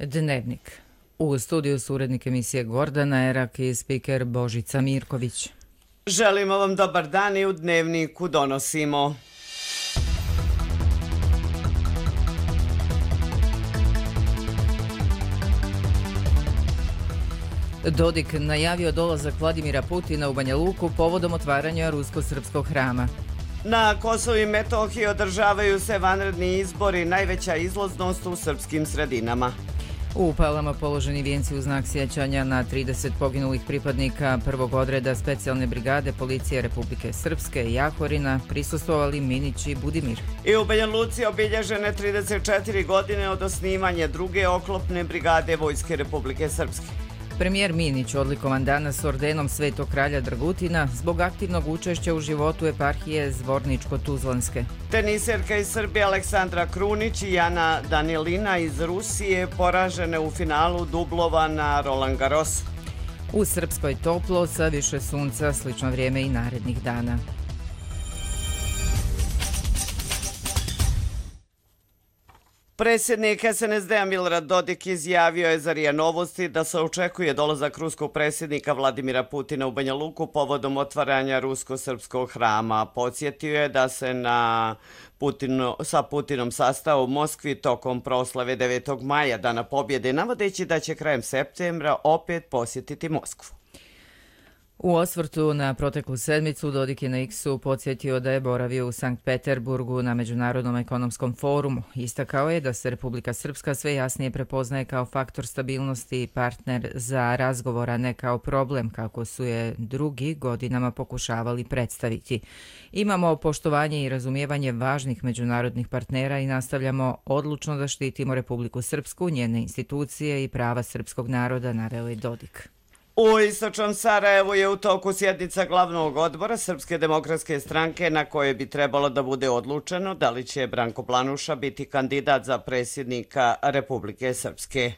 Dnevnik. U studiju su urednik emisije Gordana Erak i spiker Božica Mirković. Želimo vam dobar dan i u Dnevniku donosimo. Dodik najavio dolazak Vladimira Putina u Banja Luku povodom otvaranja rusko-srpskog hrama. Na Kosovu i Metohiji održavaju se vanredni izbori, najveća izlaznost u srpskim sredinama. U Palama položeni vijenci u znak sjećanja na 30 poginulih pripadnika prvog odreda specijalne brigade policije Republike Srpske i Jahorina prisustvovali Minić i Budimir. I u Banja Luci obilježene 34 godine od osnivanja druge oklopne brigade Vojske Republike Srpske. Premijer Minić odlikovan danas ordenom Svetog kralja Dragutina zbog aktivnog učešća u životu eparhije Zvorničko-Tuzlanske. Teniserka iz Srbije Aleksandra Krunić i Jana Danilina iz Rusije poražene u finalu dublova na Roland Garrosu. U Srpskoj toplo sa više sunca, slično vrijeme i narednih dana. Predsjednik SNSD-a Milorad Dodik izjavio je za RIA Novosti da se očekuje dolazak ruskog predsjednika Vladimira Putina u Banja Luku povodom otvaranja rusko-srpskog hrama. Podsjetio je da se sa Putinom sastao u Moskvi tokom proslave 9. maja, Dana pobjede, navodeći da će krajem septembra opet posjetiti Moskvu. U osvrtu na proteklu sedmicu Dodik je na X-u podsjetio da je boravio u Sankt Peterburgu na Međunarodnom ekonomskom forumu. Istakao je da se Republika Srpska sve jasnije prepoznaje kao faktor stabilnosti i partner za razgovor, a ne kao problem, kako su je drugi godinama pokušavali predstaviti. Imamo poštovanje i razumijevanje važnih međunarodnih partnera i nastavljamo odlučno da štitimo Republiku Srpsku, njene institucije i prava srpskog naroda, naveo je Dodik. U istočnom Sarajevu je u toku sjednica glavnog odbora Srpske demokratske stranke na kojoj bi trebalo da bude odlučeno da li će Branko Planuša biti kandidat za predsjednika Republike Srpske.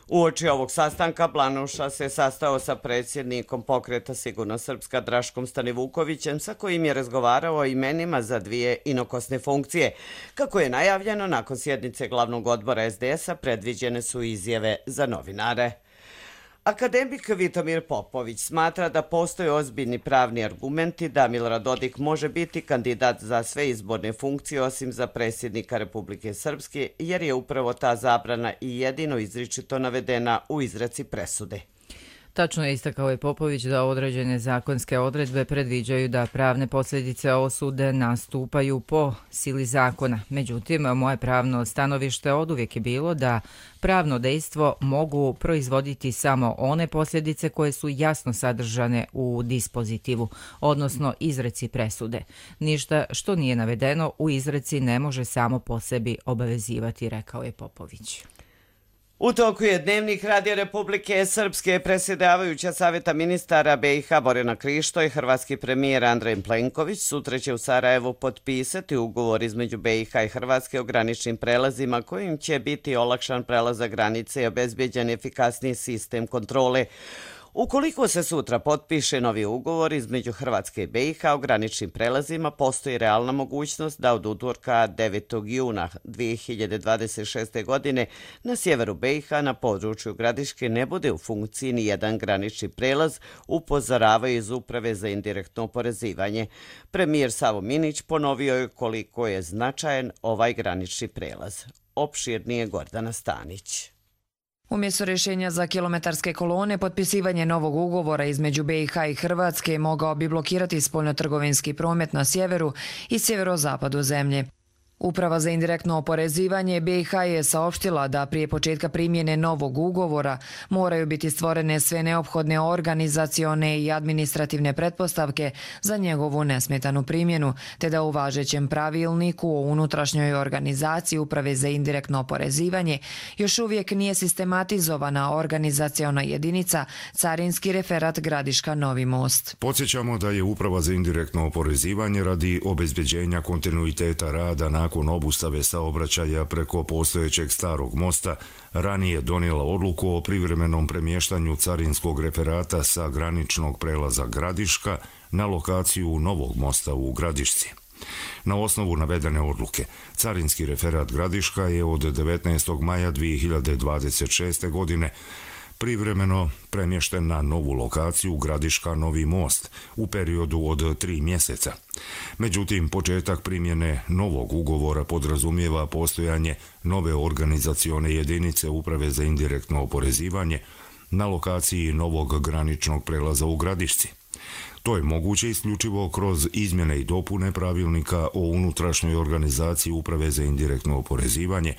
Uoči ovog sastanka Planuša se sastao sa predsjednikom Pokreta Sigurno Srpska Draškom Stanivukovićem, sa kojim je razgovarao o imenima za dvije inokosne funkcije. Kako je najavljeno, nakon sjednice glavnog odbora SDS-a predviđene su izjave za novinare. Akademik Vitomir Popović smatra da postoje ozbiljni pravni argumenti da Milorad Dodik može biti kandidat za sve izborne funkcije osim za predsjednika Republike Srpske, jer je upravo ta zabrana i jedino izričito navedena u izreci presude. Tačno je istakao je Popović da određene zakonske odredbe predviđaju da pravne posljedice osude nastupaju po sili zakona. Međutim, moje pravno stanovište oduvijek je bilo da pravno dejstvo mogu proizvoditi samo one posljedice koje su jasno sadržane u dispozitivu, odnosno izreci presude. Ništa što nije navedeno u izreci ne može samo po sebi obavezivati, rekao je Popović. U toku je Dnevnik Radio Republike Srpske. Predsjedavajuća Saveta ministara BiH Borjana Krišto i hrvatski premijer Andrej Plenković sutra će u Sarajevu potpisati ugovor između BiH i Hrvatske o graničnim prelazima kojim će biti olakšan prelazak granice i obezbeđen efikasniji sistem kontrole. Ukoliko se sutra potpiše novi ugovor između Hrvatske i BiH o graničnim prelazima, postoji realna mogućnost da od utorka 9. juna 2026. godine na sjeveru BiH na području Gradiške ne bude u funkciji ni jedan granični prelaz, upozoravaju iz Uprave za indirektno oporezivanje. Premijer Savo Minić ponovio je koliko je značajan ovaj granični prelaz. Opširnije Gordana Stanić. Umjesto rješenja za kilometarske kolone, potpisivanje novog ugovora između BiH i Hrvatske mogao bi blokirati spoljnotrgovinski promet na sjeveru i sjeverozapadu zemlje. Uprava za indirektno oporezivanje BiH je saopštila da prije početka primjene novog ugovora moraju biti stvorene sve neophodne organizacione i administrativne pretpostavke za njegovu nesmetanu primjenu, te da u važećem pravilniku o unutrašnjoj organizaciji Uprave za indirektno oporezivanje još uvijek nije sistematizovana organizaciona jedinica Carinski referat Gradiška Novi Most. Podsjećamo da je Uprava za indirektno oporezivanje radi obezbeđenja kontinuiteta rada nakon obustave saobraćaja preko postojećeg starog mosta ranije donijela odluku o privremenom premještanju carinskog referata sa graničnog prelaza Gradiška na lokaciju novog mosta u Gradišci. Na osnovu navedene odluke, carinski referat Gradiška je od 19. maja 2026. godine privremeno premješten na novu lokaciju Gradiška Novi Most u periodu od 3 mjeseca. Međutim, početak primjene novog ugovora podrazumijeva postojanje nove organizacione jedinice Uprave za indirektno oporezivanje na lokaciji novog graničnog prelaza u Gradišci. To je moguće isključivo kroz izmjene i dopune pravilnika o unutrašnjoj organizaciji Uprave za indirektno oporezivanje,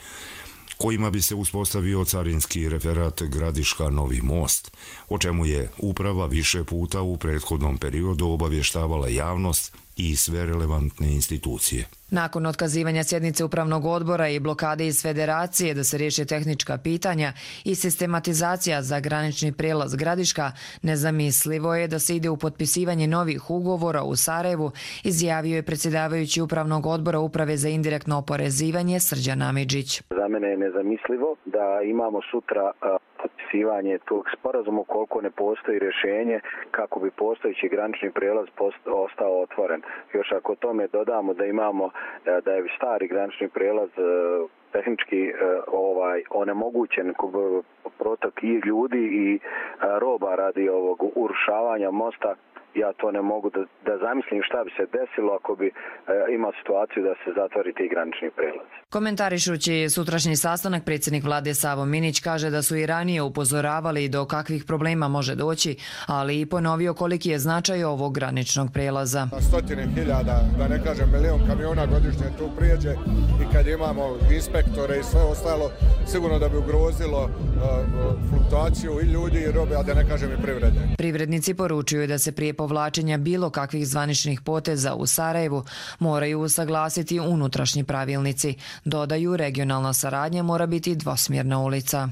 kojima bi se uspostavio carinski referat Gradiška Novi Most, o čemu je uprava više puta u prethodnom periodu obavještavala javnost i sve relevantne institucije. Nakon otkazivanja sjednice upravnog odbora i blokade iz federacije da se riješe tehnička pitanja i sistematizacija za granični prijelaz Gradiška, nezamislivo je da se ide u potpisivanje novih ugovora u Sarajevu, izjavio je predsjedavajući upravnog odbora Uprave za indirektno oporezivanje Srđan Amidžić. Za mene je nezamislivo da imamo sutra potpisivanje tog sporazuma ukoliko ne postoji rješenje kako bi postojeći granični prijelaz ostao otvoren. Još ako tome dodamo da imamo da je stari granični prijelaz tehnički onemogućen protok i ljudi i roba radi ovog urušavanja mosta, ja to ne mogu da zamislim šta bi se desilo ako bi imao situaciju da se zatvori ti granični prijelaz. Komentarišući sutrašnji sastanak, predsjednik vlade Savo Minić kaže da su i ranije upozoravali do kakvih problema može doći, ali i ponovio koliki je značaj ovog graničnog prijelaza. Stotine hiljada, da ne kažem milion kamiona godišnje tu prijeđe i kad imamo inspektore i sve ostalo, sigurno da bi ugrozilo fluktuaciju i ljudi i robe, a da ne kažem i privrede. Privrednici poručuju da se prije povlačenja bilo kakvih zvaničnih poteza u Sarajevu moraju usaglasiti unutrašnji pravilnici. Dodaju, regionalna saradnja mora biti dvosmjerna ulica.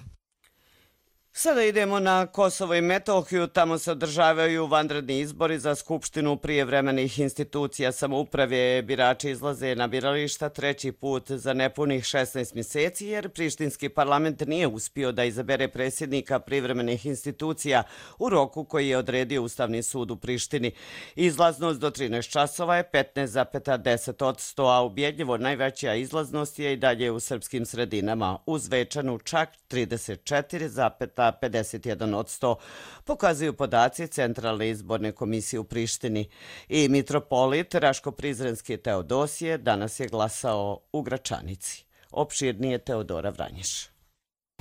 Sada idemo na Kosovo i Metohiju. Tamo se održavaju vanredni izbori za Skupštinu prijevremenih institucija samouprave. Birači izlaze na birališta treći put za nepunih 16 mjeseci jer prištinski parlament nije uspio da izabere predsjednika privremenih institucija u roku koji je odredio Ustavni sud u Prištini. Izlaznost do 13 časova je 15,10%, a ubjedljivo najveća izlaznost je i dalje u srpskim sredinama, uz Zvečanu čak 34,51%, pokazuju podaci Centralne izborne komisije u Prištini. I mitropolit Raško-Prizrenski Teodosije danas je glasao u Gračanici. Opširnije Teodora Vranješ.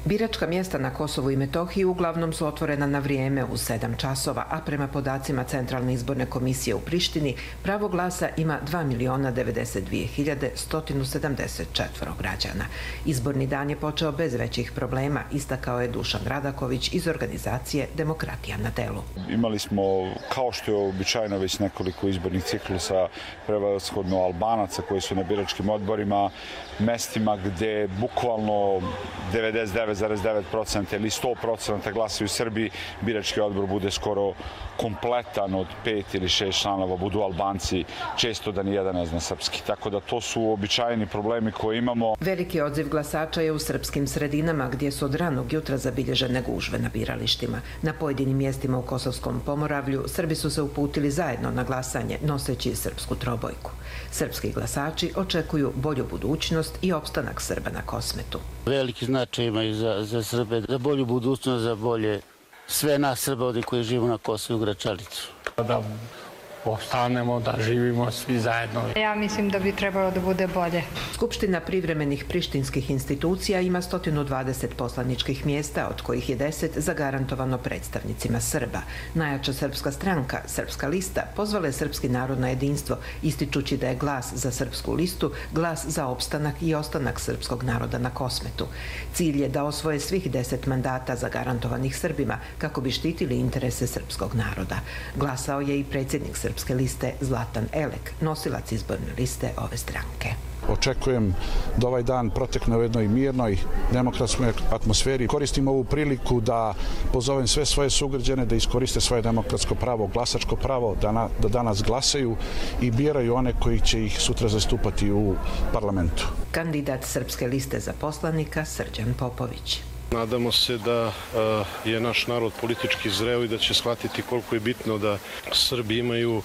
Biračka mjesta na Kosovu i Metohiji uglavnom su otvorena na vrijeme u 7 časova, a prema podacima Centralne izborne komisije u Prištini pravo glasa ima 2.092.174 građana. Izborni dan je počeo bez većih problema, istakao je Dušan Radaković iz organizacije Demokratija na delu. Imali smo, kao što je običajno, već nekoliko izbornih ciklusa, prevashodno Albanaca koji su na biračkim odborima, mestima gdje bukvalno 99,9% ili 100% glasaju Srbi, birački odbor bude skoro kompletan od 5 ili 6 članova, budu Albanci, često da nijedan ne zna srpski. Tako da to su običajni problemi koje imamo. Veliki odziv glasača je u srpskim sredinama gdje su od ranog jutra zabilježene gužve na biralištima. Na pojedinim mjestima u Kosovskom Pomoravlju Srbi su se uputili zajedno na glasanje noseći srpsku trobojku. Srpski glasači očekuju bolju budućnost i opstanak Srba na Kosmetu. Veliki značaj imaju za Srbe, za bolju budućnost, za bolje sve nas Srba ovdje koji živimo na Kosovu i Gračanicu. Da ostanemo, da živimo svi zajedno. Ja mislim da bi trebalo da bude bolje. Skupština privremenih prištinskih institucija ima 120 poslaničkih mjesta, od kojih je 10 zagarantovano predstavnicima Srba. Najjača srpska stranka, Srpska lista, pozvala je srpski narod na jedinstvo, ističući da je glas za srpsku listu glas za opstanak i ostanak srpskog naroda na Kosmetu. Cilj je da osvoje svih 10 mandata zagarantovanih Srbima kako bi štitili interese srpskog naroda. Glasao je i predsjednik Srpske liste Zlatan Elek, nosilac izborne liste ove stranke. Očekujem da ovaj dan protekne u jednoj mirnoj, demokratskoj atmosferi. Koristim ovu priliku da pozovem sve svoje sugrađane da iskoriste svoje demokratsko pravo, glasačko pravo, da danas glasaju i biraju one koji će ih sutra zastupati u parlamentu. Kandidat Srpske liste za poslanika Srđan Popović. Nadamo se da je naš narod politički zreo i da će shvatiti koliko je bitno da Srbi imaju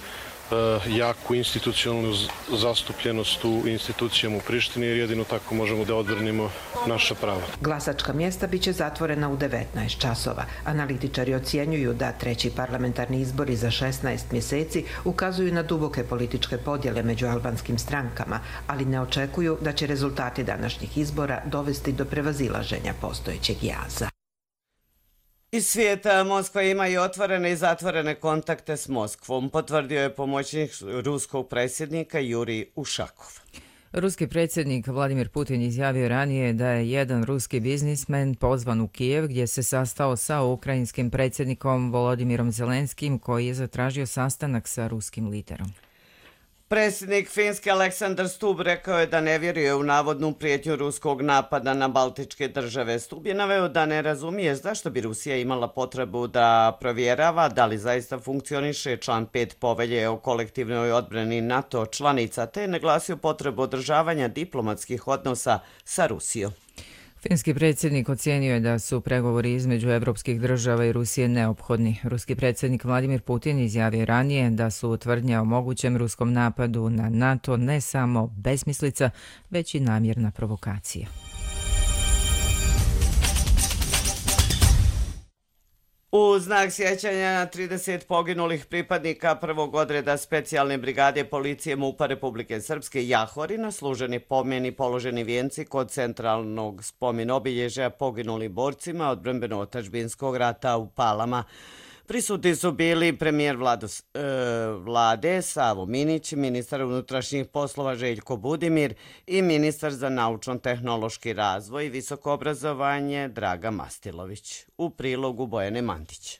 jaku institucionalnu zastupljenost u institucijama u Prištini, jer jedino tako možemo da odbranimo naša prava. Glasačka mjesta biće zatvorena u 19 časova. Analitičari ocjenjuju da treći parlamentarni izbori za 16 mjeseci ukazuju na duboke političke podjele među albanskim strankama, ali ne očekuju da će rezultati današnjih izbora dovesti do prevazilaženja postojećeg jaza. Iz svijeta Moskva ima i otvorene i zatvorene kontakte s Moskvom, potvrdio je pomoćnik ruskog predsjednika Jurij Ušakov. Ruski predsjednik Vladimir Putin izjavio ranije da je jedan ruski biznismen pozvan u Kijev gdje se sastao sa ukrajinskim predsjednikom Volodimirom Zelenskim, koji je zatražio sastanak sa ruskim liderom. Predsjednik Finske Aleksandar Stubb rekao je da ne vjeruje u navodnu prijetnju ruskog napada na baltičke države. Stubb je naveo da ne razumije zašto bi Rusija imala potrebu da provjerava da li zaista funkcioniše član 5 povelje o kolektivnoj odbrani NATO članica, te je naglasio potrebu održavanja diplomatskih odnosa sa Rusijom. Finski predsjednik ocijenio je da su pregovori između evropskih država i Rusije neophodni. Ruski predsjednik Vladimir Putin izjavio ranije da su tvrdnje o mogućem ruskom napadu na NATO ne samo besmislica, već i namjerna provokacija. U znak sjećanja na 30 poginulih pripadnika prvog odreda specijalne brigade policije MUP-a Republike Srpske Jahorina služeni pomeni položeni vijenci kod centralnog spomen obilježja poginulim borcima odbrambeno-otadžbinskog rata u Palama. Prisutni su bili premijer vlade Savo Minić, ministar unutrašnjih poslova Željko Budimir i ministar za naučno-tehnološki razvoj i visoko obrazovanje Draga Mastilović. U prilogu Bojane Mandić.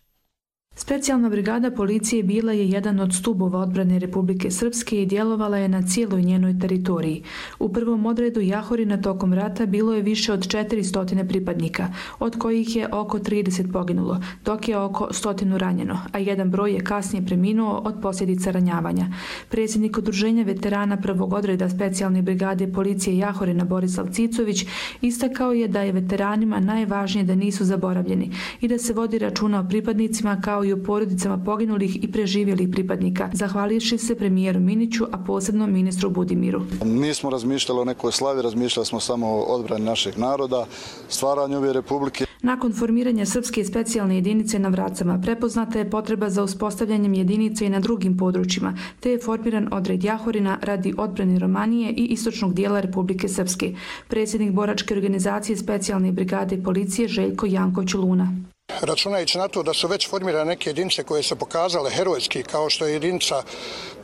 Specijalna brigada policije bila je jedan od stubova odbrane Republike Srpske i djelovala je na cijeloj njenoj teritoriji. U prvom odredu Jahorina tokom rata bilo je više od 400 pripadnika, od kojih je oko 30 poginulo, dok je oko 100 ranjeno, a jedan broj je kasnije preminuo od posljedica ranjavanja. Predsjednik Udruženja veterana prvog odreda Specijalne brigade policije Jahorina Borislav Cicović istakao je da je veteranima najvažnije da nisu zaboravljeni i da se vodi računa o pripadnicima kao i o porodicama poginulih i preživjelih pripadnika, zahvalivši se premijeru Miniću, a posebno ministru Budimiru. Nismo razmišljali o nekoj slavi, razmišljali smo samo o odbrani našeg naroda, stvaranju ove republike. Nakon formiranja Srpske specijalne jedinice na Vracama prepoznata je potreba za uspostavljanjem jedinice i na drugim područjima, te je formiran odred Jahorina radi odbrane Romanije i istočnog dijela Republike Srpske. Predsjednik boračke organizacije Specijalne brigade policije Željko Janković Luna. Računajući na to da su već formirane neke jedinice koje se pokazale herojski, kao što je jedinica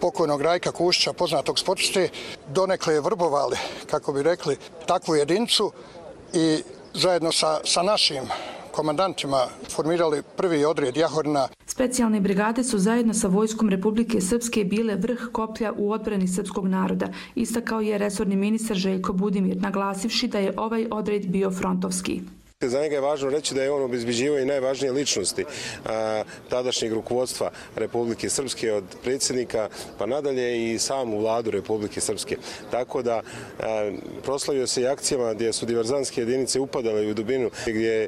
pokojnog Rajka Kušća, poznatog sportiste, donekle je vrbovali, kako bi rekli, takvu jedinicu i zajedno sa našim komandantima formirali prvi odred Jahorina. Specijalne brigade su zajedno sa vojskom Republike Srpske bile vrh koplja u odbrani srpskog naroda, istakao je resorni ministar Željko Budimir, naglasivši da je ovaj odred bio frontovski. Za njega je važno reći da je on obezbeđivao i najvažnije ličnosti tadašnjeg rukovodstva Republike Srpske, od predsjednika pa nadalje i samu vladu Republike Srpske. Tako da proslavio se i akcijama gdje su diverzantske jedinice upadale u dubinu, gdje je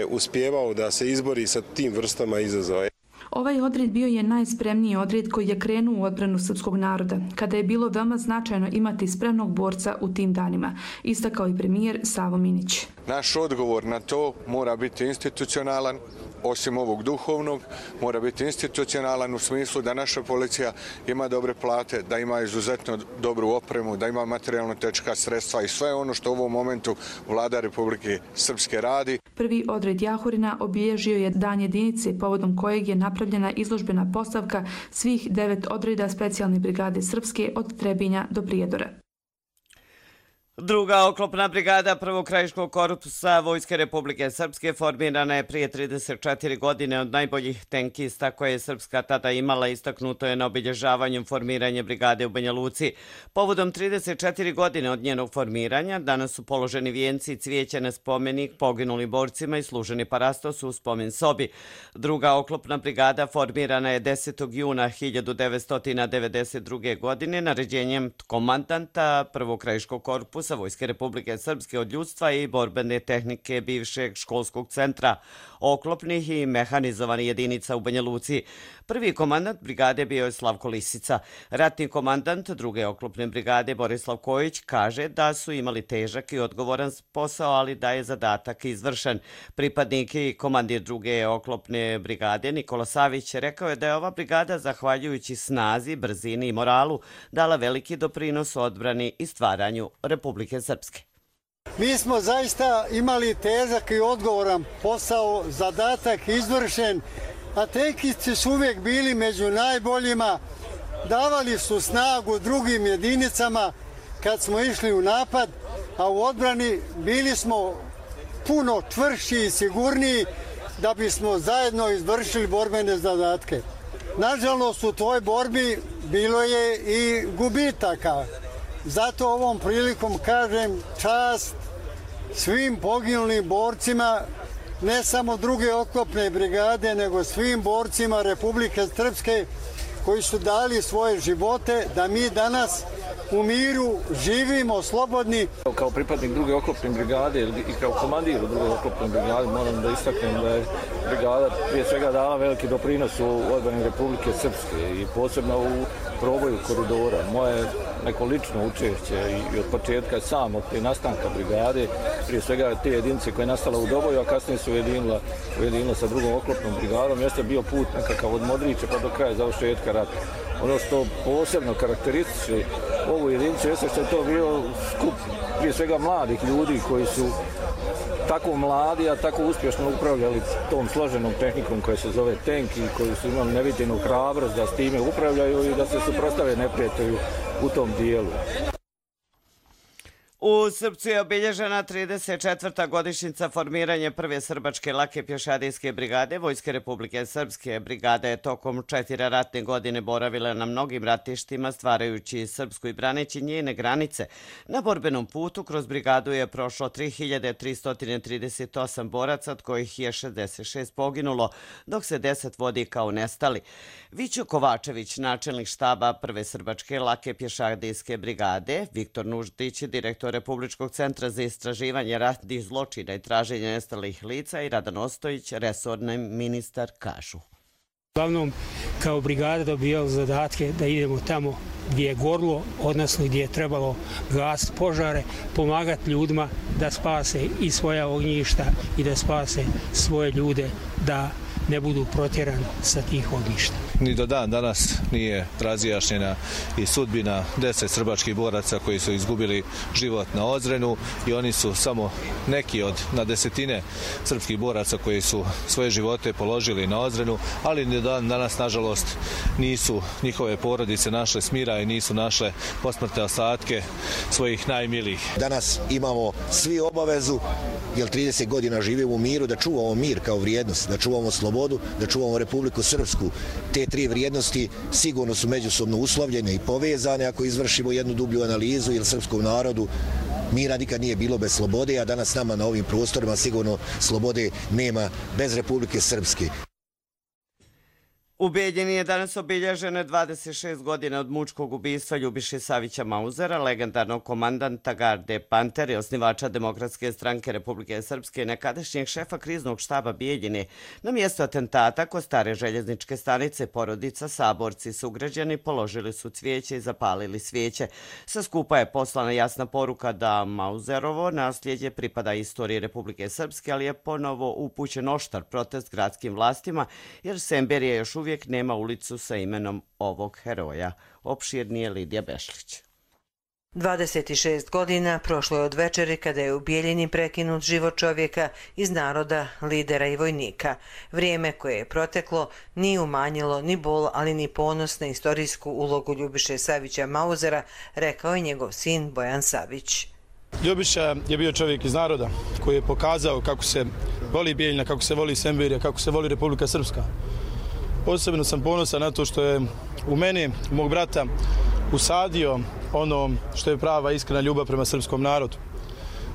uspijevao da se izbori sa tim vrstama izazova. Ovaj odred bio je najspremniji odred koji je krenuo u odbranu srpskog naroda, kada je bilo veoma značajno imati spremnog borca u tim danima, istakao i premijer Savo Minić. Naš odgovor na to mora biti institucionalan, osim ovog duhovnog, mora biti institucionalan u smislu da naša policija ima dobre plate, da ima izuzetno dobru opremu, da ima materijalno-tehnička sredstva i sve ono što u ovom momentu vlada Republike Srpske radi. Prvi odred Jahorina obilježio je dan jedinice, povodom kojeg je napravljena izložbena postavka svih 9 odreda Specijalne brigade Srpske od Trebinja do Prijedora. Druga oklopna brigada prvog krajiškog korpusa Vojske Republike Srpske formirana je prije 34 godine od najboljih tenkista koje je Srpska tada imala, istaknuto je na obilježavanju formiranja brigade u Banja Luci. Povodom 34 godine od njenog formiranja danas su položeni vijenci i cvijeća na spomenik poginulim borcima i služeni parastos u spomen sobi. Druga oklopna brigada formirana je 10. juna 1992. godine naređenjem komandanta prvog krajiškog korpusa Vojske Republike Srpske od ljudstva i borbene tehnike bivšeg školskog centra. oklopnih i mehanizovanih jedinica u Banja Luci. Prvi komandant brigade bio je Slavko Lisica. Ratni komandant druge oklopne brigade Borislav Kojić kaže da su imali težak i odgovoran posao, ali da je zadatak izvršen. Pripadnik i komandir druge oklopne brigade Nikola Savić rekao je da je ova brigada, zahvaljujući snazi, brzini i moralu, dala veliki doprinos odbrani i stvaranju Republike Srpske. Mi smo zaista imali težak i odgovoran posao, zadatak izvršen, a tenkisti su uvijek bili među najboljima, davali su snagu drugim jedinicama kad smo išli u napad, a u odbrani bili smo puno čvršći i sigurniji da bismo zajedno izvršili borbene zadatke. Nažalost, u toj borbi bilo je i gubitaka. Zato ovom prilikom kažem čast svim poginulim borcima, ne samo druge oklopne brigade, nego svim borcima Republike Srpske koji su dali svoje živote da mi danas u miru živimo slobodni. Kao pripadnik druge oklopne brigade i kao komandir druge oklopne brigade moram da istaknem da je brigada prije svega dala veliki doprinos u odbrani Republike Srpske i posebno u proboju koridora. Moje neko lično učešće i od početka sam od te nastanka brigade, prije svega te jedinice koje je nastala u Doboju, a kasnije su ujedinila sa drugom oklopnom brigadom, jeste bio put nekakav od Modrića pa do kraja završetka rata. Ono što posebno karakterističe ovu jedinicu jeste što je to bio skup prije svega mladih ljudi koji su tako mladi, a tako uspješno upravljali tom složenom tehnikom koja se zove tank i koji su imali neviđenu hrabrost da s time upravljaju i da se suprotstave neprijatelju u tom dijelu. U Srpcu je obilježena 34. godišnjica formiranja prve srbačke lake pješadijske brigade Vojske Republike Srpske. Brigada je tokom 4 ratne godine boravila na mnogim ratištima, stvarajući Srpsku i braneći njene granice. Na borbenom putu kroz brigadu je prošlo 3338 boraca, od kojih je 66 poginulo, dok se 10 vodi kao nestali. Vićo Kovačević, načelnik štaba prve srbačke lake pješadijske brigade, Viktor Nuždić, direktor Republičkog centra za istraživanje ratnih zločina i traženje nestalih lica i Radan Ostojić, resorni ministar, kažu. Uglavnom, kao brigada dobijali zadatke da idemo tamo gdje je gorlo, odnosno gdje je trebalo gasiti požare, pomagati ljudima da spase i svoja ognjišta i da spase svoje ljude da ne budu protjerani sa tih ognjišta. Ni do dan danas nije razjašnjena i sudbina 10 srbačkih boraca koji su izgubili život na Ozrenu i oni su samo neki od na desetine srpskih boraca koji su svoje živote položili na Ozrenu, ali ni do dan danas, nažalost, nisu njihove porodice našle smira i nisu našle posmrtne ostatke svojih najmilijih. Danas imamo svi obavezu, jer 30 godina živimo u miru, da čuvamo mir kao vrijednost, da čuvamo slobodu, da čuvamo Republiku Srpsku. Te tri vrijednosti sigurno su međusobno uslovljene i povezane ako izvršimo jednu dublju analizu, jer srpskom narodu mira nikad nije bilo bez slobode, a danas nama na ovim prostorima sigurno slobode nema bez Republike Srpske. U Bijeljini je danas obilježeno 26 godina od mučkog ubistva Ljubiše Savića Mauzera, legendarnog komandanta garde Panter i osnivača Demokratske stranke Republike Srpske i nekadašnjeg šefa kriznog štaba Bijeljine. Na mjesto atentata kod stare željezničke stanice porodica, saborci, sugrađani položili su cvijeće i zapalili svijeće. Sa skupa je poslana jasna poruka da Mauzerovo nasljeđe pripada istoriji Republike Srpske, ali je ponovo upućen oštar protest gradskim vlastima, jer Semberije još uvijek nema ulicu sa imenom ovog heroja. Opširnije Lidija Bešlić. 26 godina prošlo je od večeri kada je u Bijeljini prekinut život čovjeka iz naroda, lidera i vojnika. Vrijeme koje je proteklo nije umanjilo ni bol, ali ni ponos na istorijsku ulogu Ljubiše Savića Mauzera, rekao je njegov sin Bojan Savić. Ljubiša je bio čovjek iz naroda koji je pokazao kako se voli Bijeljina, kako se voli Semberija, kako se voli Republika Srpska. Posebno sam ponosan na to što je u meni, mog brata, usadio ono što je prava iskrena ljubav prema srpskom narodu.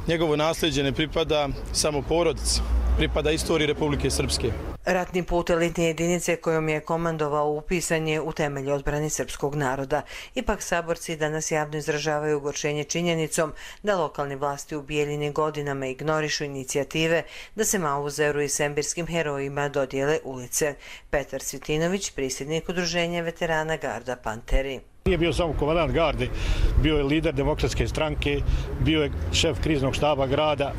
Njegovo nasljeđe ne pripada samo porodici, pripada istoriji Republike Srpske. Ratni put elitne jedinice kojom je komandovao upisan je u temelj odbrane srpskog naroda. Ipak saborci danas javno izražavaju ogorčenje činjenicom da lokalne vlasti u Bijeljini godinama ignorišu inicijative da se Mauzeru i sembirskim herojima dodijele ulice. Petar Cvitinović, predsjednik udruženja veterana Garda Panteri. Nije bio samo komandant garde, bio je lider demokratske stranke, bio je šef kriznog štaba grada,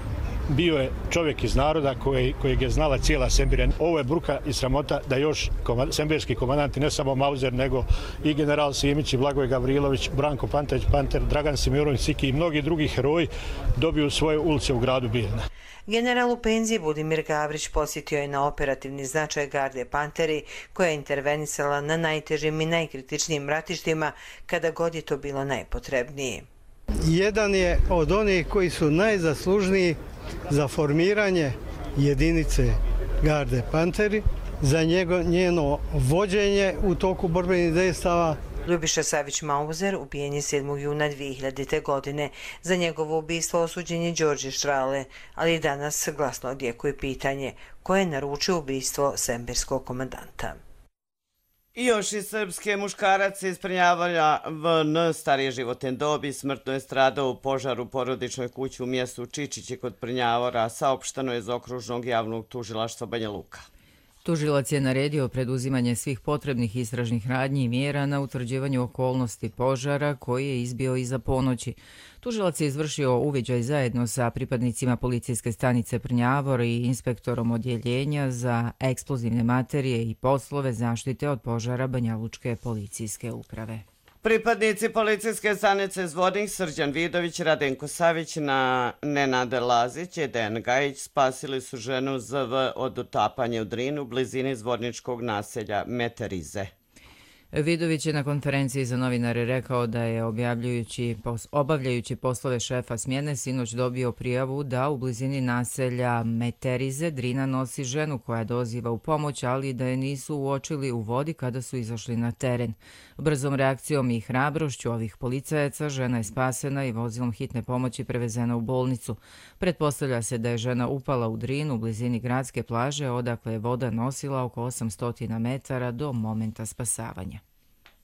bio je čovjek iz naroda kojeg je znala cijela Sembirja. Ovo je bruka i sramota da još sembirski komandanti, ne samo Mauzer, nego i general Simić, Blagoje Gavrilović, Branko Panteć, Panter, Dragan Simirović, Siki i mnogi drugi heroji dobiju svoje ulice u gradu Bijeljina. General u penziji Budimir Gavrić posjetio je na operativni značaj Garde Panteri, koja je intervenisala na najtežim i najkritičnijim ratištima kada god je to bilo najpotrebnije. Jedan je od onih koji su najzaslužniji za formiranje jedinice Garde Panteri, za njeno vođenje u toku borbenih dejstava. Ljubiša Savić-Mauzer ubijen je 7. juna 2000. godine. Za njegovo ubistvo osuđen je Đorđe Štrale, ali danas glasno odjekuje pitanje ko je naručio ubistvo sembirskog komandanta. I još iz Srpske, muškarac iz Prnjavora VN starije životne dobi smrtno je stradao u požaru u porodičnoj kući u mjestu Čičiće kod Prnjavora, saopšteno je iz Okružnog javnog tužilaštva Banja Luka. Tužilac je naredio preduzimanje svih potrebnih istražnih radnji i mjera na utvrđivanju okolnosti požara koji je izbio iza ponoći. Tužilac je izvršio uviđaj zajedno sa pripadnicima policijske stanice Prnjavor i inspektorom odjeljenja za eksplozivne materije i poslove zaštite od požara Banjalučke policijske uprave. Pripadnici policijske stanice Zvornik, Srđan Vidović, Radenko Savić, Nenade Lazić i Dejan Gajić spasili su ženu ZV od utapanja u Drinu u blizini zvorničkog naselja Meterize. Vidović je na konferenciji za novinare rekao da je obavljajući poslove šefa smjene sinoć dobio prijavu da u blizini naselja Meterize Drina nosi ženu koja doziva u pomoć, ali da je nisu uočili u vodi kada su izašli na teren. Brzom reakcijom i hrabrošću ovih policajaca žena je spasena i vozilom hitne pomoći prevezena u bolnicu. Pretpostavlja se da je žena upala u Drinu u blizini gradske plaže, odakle je voda nosila oko 800 metara do momenta spasavanja.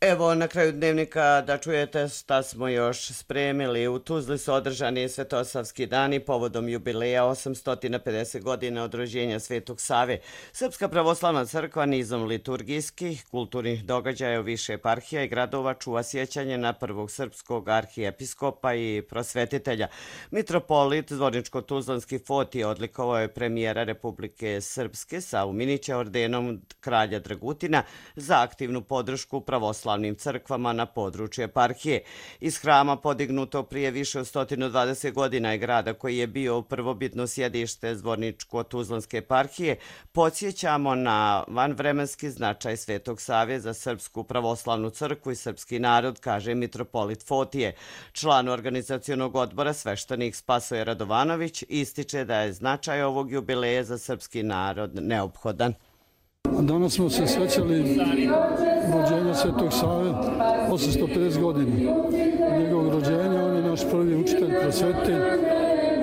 Evo na kraju dnevnika da čujete šta smo još spremili. U Tuzli su održani Svetosavski dani povodom jubileja 850 godina od rođenja Svetog Save. Srpska pravoslavna crkva nizom liturgijskih, kulturnih događaja u više eparhija i gradova čuva sjećanje na prvog srpskog arhijepiskopa i prosvetitelja. Mitropolit Zvorničko-Tuzlanski Fotije odlikovao je premijera Republike Srpske Savu Minića ordenom kralja Dragutina za aktivnu podršku pravoslavnim crkvama na području eparhije. Iz hrama podignuto prije više od 120 godina i grada koji je bio prvobitno sjedište Zvorničko-Tuzlanske eparhije, podsjećamo na vanvremenski značaj Svetog Save za Srpsku pravoslavnu crkvu i srpski narod, kaže mitropolit Fotije. Član organizacionog odbora sveštenik Spasoje Radovanović ističe da je značaj ovog jubileja za srpski narod neophodan. Danas smo se sjećali rođenja Svetog Save 850 godina. Od njegovog rođenja on je naš prvi učitelj, prosvetitelj.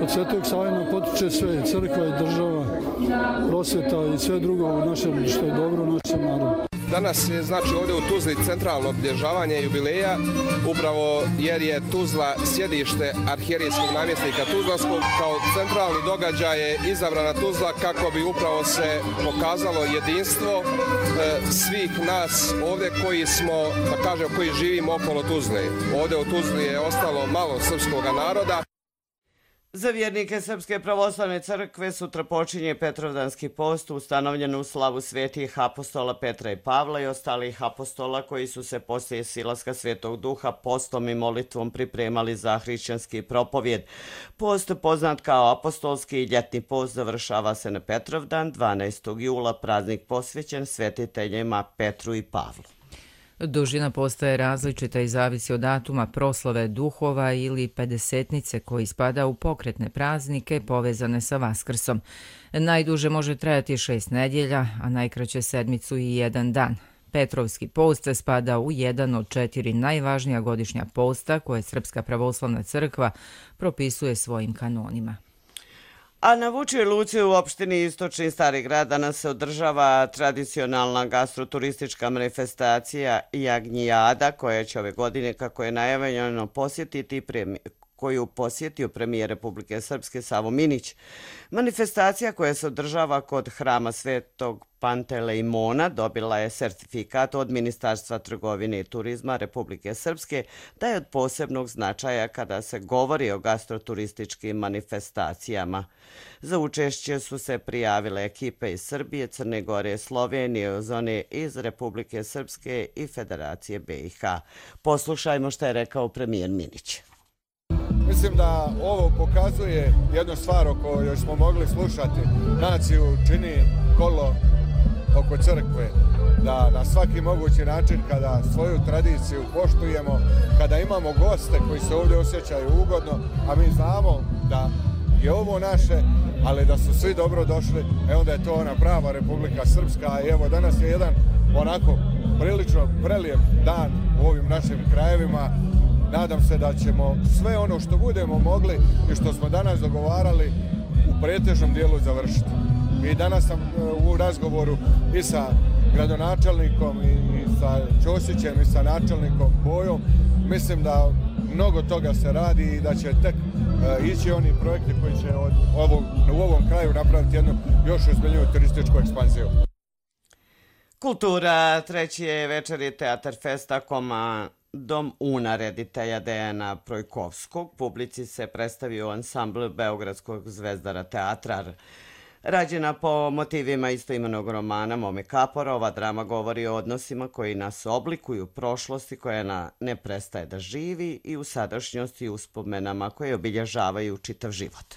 Od Svetog Save nam potiče sve, crkva i država, prosvjeta i sve drugo u našem, što je dobro u našem narodu. Danas je znači ovdje u Tuzli centralno obilježavanje jubileja, upravo jer je Tuzla sjedište arhijerijskog namjesnika Tuzlanskog. Kao centralni događaj je izabrana Tuzla kako bi upravo se pokazalo jedinstvo svih nas ovdje koji smo, da kažem, koji živimo okolo Tuzle. Ovdje u Tuzli je ostalo malo srpskog naroda. Za vjernike Srpske pravoslavne crkve sutra počinje Petrovdanski post ustanovljen u slavu svetih apostola Petra i Pavla i ostalih apostola koji su se poslije silaska Svetog Duha postom i molitvom pripremali za hrišćanski propovjed. Post, poznat kao apostolski ljetni post, završava se na Petrovdan 12. jula, praznik posvećen svetiteljima Petru i Pavlu. Dužina posta je različita i zavisi od datuma proslave duhova ili pedesetnice koji spada u pokretne praznike povezane sa Vaskrsom. Najduže može trajati 6 nedjelja, a najkraće sedmicu i 1 dan. Petrovski post spada u jedan od 4 najvažnija godišnja posta koje Srpska pravoslavna crkva propisuje svojim kanonima. A na Vučijoj luci u opštini Istočni Stari grad danas se održava tradicionalna gastroturistička manifestacija Jagnjijada, koja će ove godine, kako je najavljeno, koju posjetio premijer Republike Srpske Savo Minić. Manifestacija koja se održava kod hrama Svetog Pantelejmona dobila je sertifikat od Ministarstva trgovine i turizma Republike Srpske da je od posebnog značaja kada se govori o gastroturističkim manifestacijama. Za učešće su se prijavile ekipe iz Srbije, Crne Gore, Slovenije, zone iz Republike Srpske i Federacije BiH. Poslušajmo što je rekao premijer Minić. Mislim da ovo pokazuje jednu stvar o kojoj smo mogli slušati. Naciju čini kolo oko crkve, da na svaki mogući način kada svoju tradiciju poštujemo, kada imamo goste koji se ovdje osjećaju ugodno, a mi znamo da je ovo naše, ali da su svi dobro došli, onda je to ona prava Republika Srpska. I evo danas je jedan onako prilično prelijep dan u ovim našim krajevima. Nadam se da ćemo sve ono što budemo mogli i što smo danas dogovarali u pretežnom dijelu završiti. I danas sam u razgovoru i sa gradonačelnikom i sa Ćosićem i sa načelnikom Bojom. Mislim da mnogo toga se radi i da će tek ići oni projekti koji će u ovom kraju napraviti jednu još ozbiljniju turističku ekspanziju. Kultura, treći je večeri Teatar Festa Dom Una reditelja Dejana Projkovskog. Publici se predstavio ansambl Beogradskog zvezdara teatra. Rađena po motivima istoimenog romana Mome Kapora, ova drama govori o odnosima koji nas oblikuju, prošlosti koja ne prestaje da živi i u sadašnjosti uspomenama koje obilježavaju čitav život.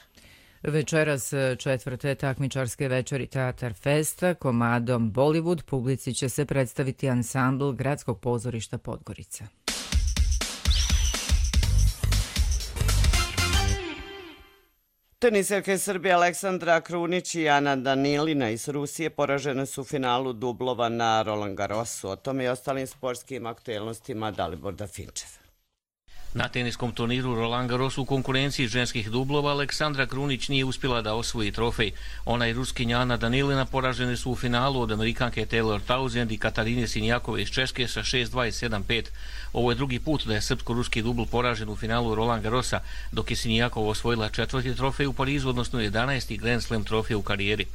Večeras četvrte takmičarske večeri Teatar Festa komadom Bollywood publici će se predstaviti ansambl Gradskog pozorišta Podgorica. Teniserke Srbije Aleksandra Krunić i Ana Danilina iz Rusije poražene su u finalu dublova na Roland Garrosu. O tome i ostalim sportskim aktuelnostima Dalibor Dafinčev. Na teniskom turniru Roland Garros u konkurenciji ženskih dublova Aleksandra Krunić nije uspjela da osvoji trofej. Ona i Ruskinja Ana Danilina poražene su u finalu od Amerikanke Taylor Townsend i Katarine Sinjakove iz Češke sa 6-2 i 7-5. Ovo je drugi put da je srpsko-ruski dubl poražen u finalu Roland Garrosa, dok je Sinjakova osvojila četvrti trofej u Parizu, odnosno 11. Grand Slam trofej u karijeri.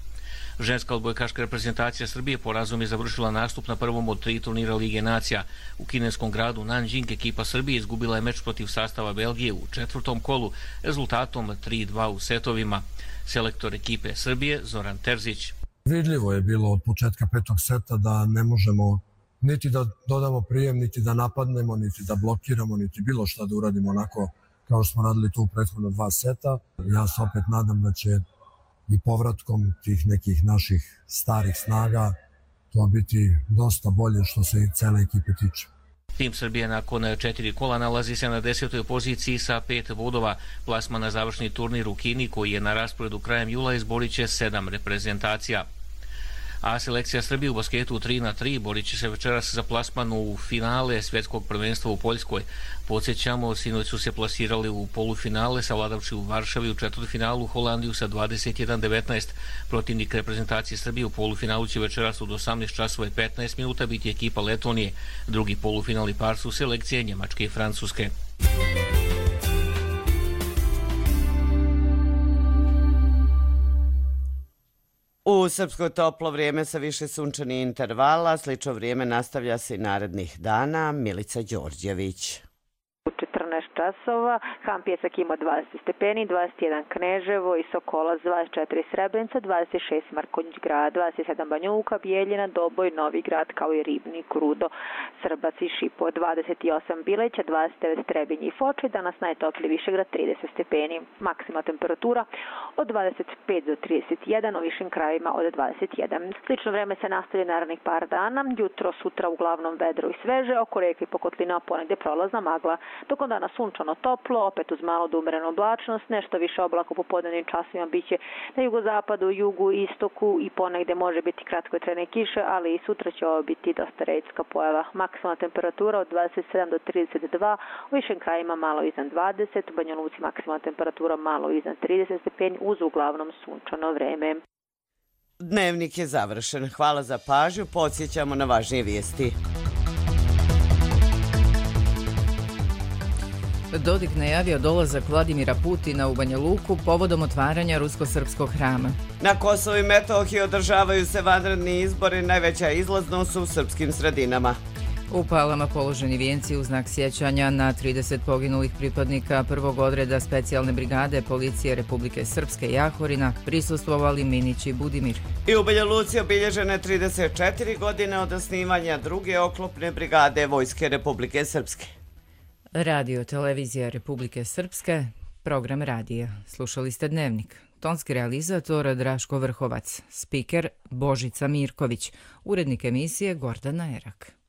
Ženska odbojkaška reprezentacija Srbije porazom je završila nastup na prvom od 3 turnira Lige nacija. U kineskom gradu Nanjing ekipa Srbije izgubila je meč protiv sastava Belgije u četvrtom kolu rezultatom 3-2 u setovima. Selektor ekipe Srbije Zoran Terzić. Vidljivo je bilo od početka petog seta da ne možemo niti da dodamo prijem, niti da napadnemo, niti da blokiramo, niti bilo šta da uradimo onako kao što smo radili tu u prethodno 2 seta. Ja se opet nadam da će i povratkom tih nekih naših starih snaga to biti dosta bolje što se i cele ekipe tiče. Tim Srbije nakon 4 kola nalazi se na 10. poziciji sa 5 bodova. Plasman na završni turnir u Kini koji je na rasporedu krajem jula izborit će 7 reprezentacija. A selekcija Srbije u basketu 3-3 borit će se večeras za plasman u finale svjetskog prvenstva u Poljskoj. Podsjećamo, sinoć su se plasirali u polufinale savladavši u Varšavi u četvrtfinalu Holandiju sa 21-19. Protivnik reprezentacije Srbije u polufinalu će večeras od 18 časova i 15 minuta biti ekipa Letonije. Drugi polufinalni par su selekcije Njemačke i Francuske. U Srpskoj toplo vrijeme sa više sunčanih intervala, slično vrijeme nastavlja se i narednih dana. Milica Đorđević. U 14 časova, Ham Pjesak ima 20 stepeni, 21 Kneževo i Sokolac, 24 Srebrenica, 26 Markonjić grad, 27 Banja Luka, Bijeljina, Doboj, Novi grad kao i Ribnik, Rudo, Srbac i Šipo, 28 Bileća, 29 Trebinj i Foče, danas najtopliji Višegrad 30 stepeni, maksimalna temperatura od 25 do 31, u višim krajevima od 21. Slično vreme se nastavlja narednih par dana, jutro, sutra uglavnom vedro i sveže, oko reke i Pokotlina ponegdje prolazna magla, tokom dana sunčano toplo, opet uz malo do umerenu oblačnost, nešto više oblaka u popodnevnim časovima biće na jugozapadu, jugu, istoku i ponegde može biti kratkotrajne kiše, ali i sutra će ovo biti dosta redka pojava. Maksimalna temperatura od 27 do 32, u višim krajima malo iznad 20, u Banja Luci maksimalna temperatura malo iznad 30 stepeni uz uglavnom sunčano vreme. Dnevnik je završen. Hvala za pažnju. Podsjećamo na važnije vijesti. Dodik najavio dolazak Vladimira Putina u Banja Luku povodom otvaranja rusko-srpskog hrama. Na Kosovu i Metohiji održavaju se vanredni izbori, najveća izlaznost u srpskim sredinama. U Palama položeni vijenci u znak sjećanja na 30 poginulih pripadnika prvog odreda specijalne brigade policije Republike Srpske Jahorina prisustvovali Minić i Budimir. I u Banja Luci obilježene 34 godine od osnivanja druge oklopne brigade Vojske Republike Srpske. Radio Televizija Republike Srpske, program radija. Slušali ste Dnevnik. Tonski realizator Draško Vrhovac, spiker Božica Mirković, urednik emisije Gordana Erak.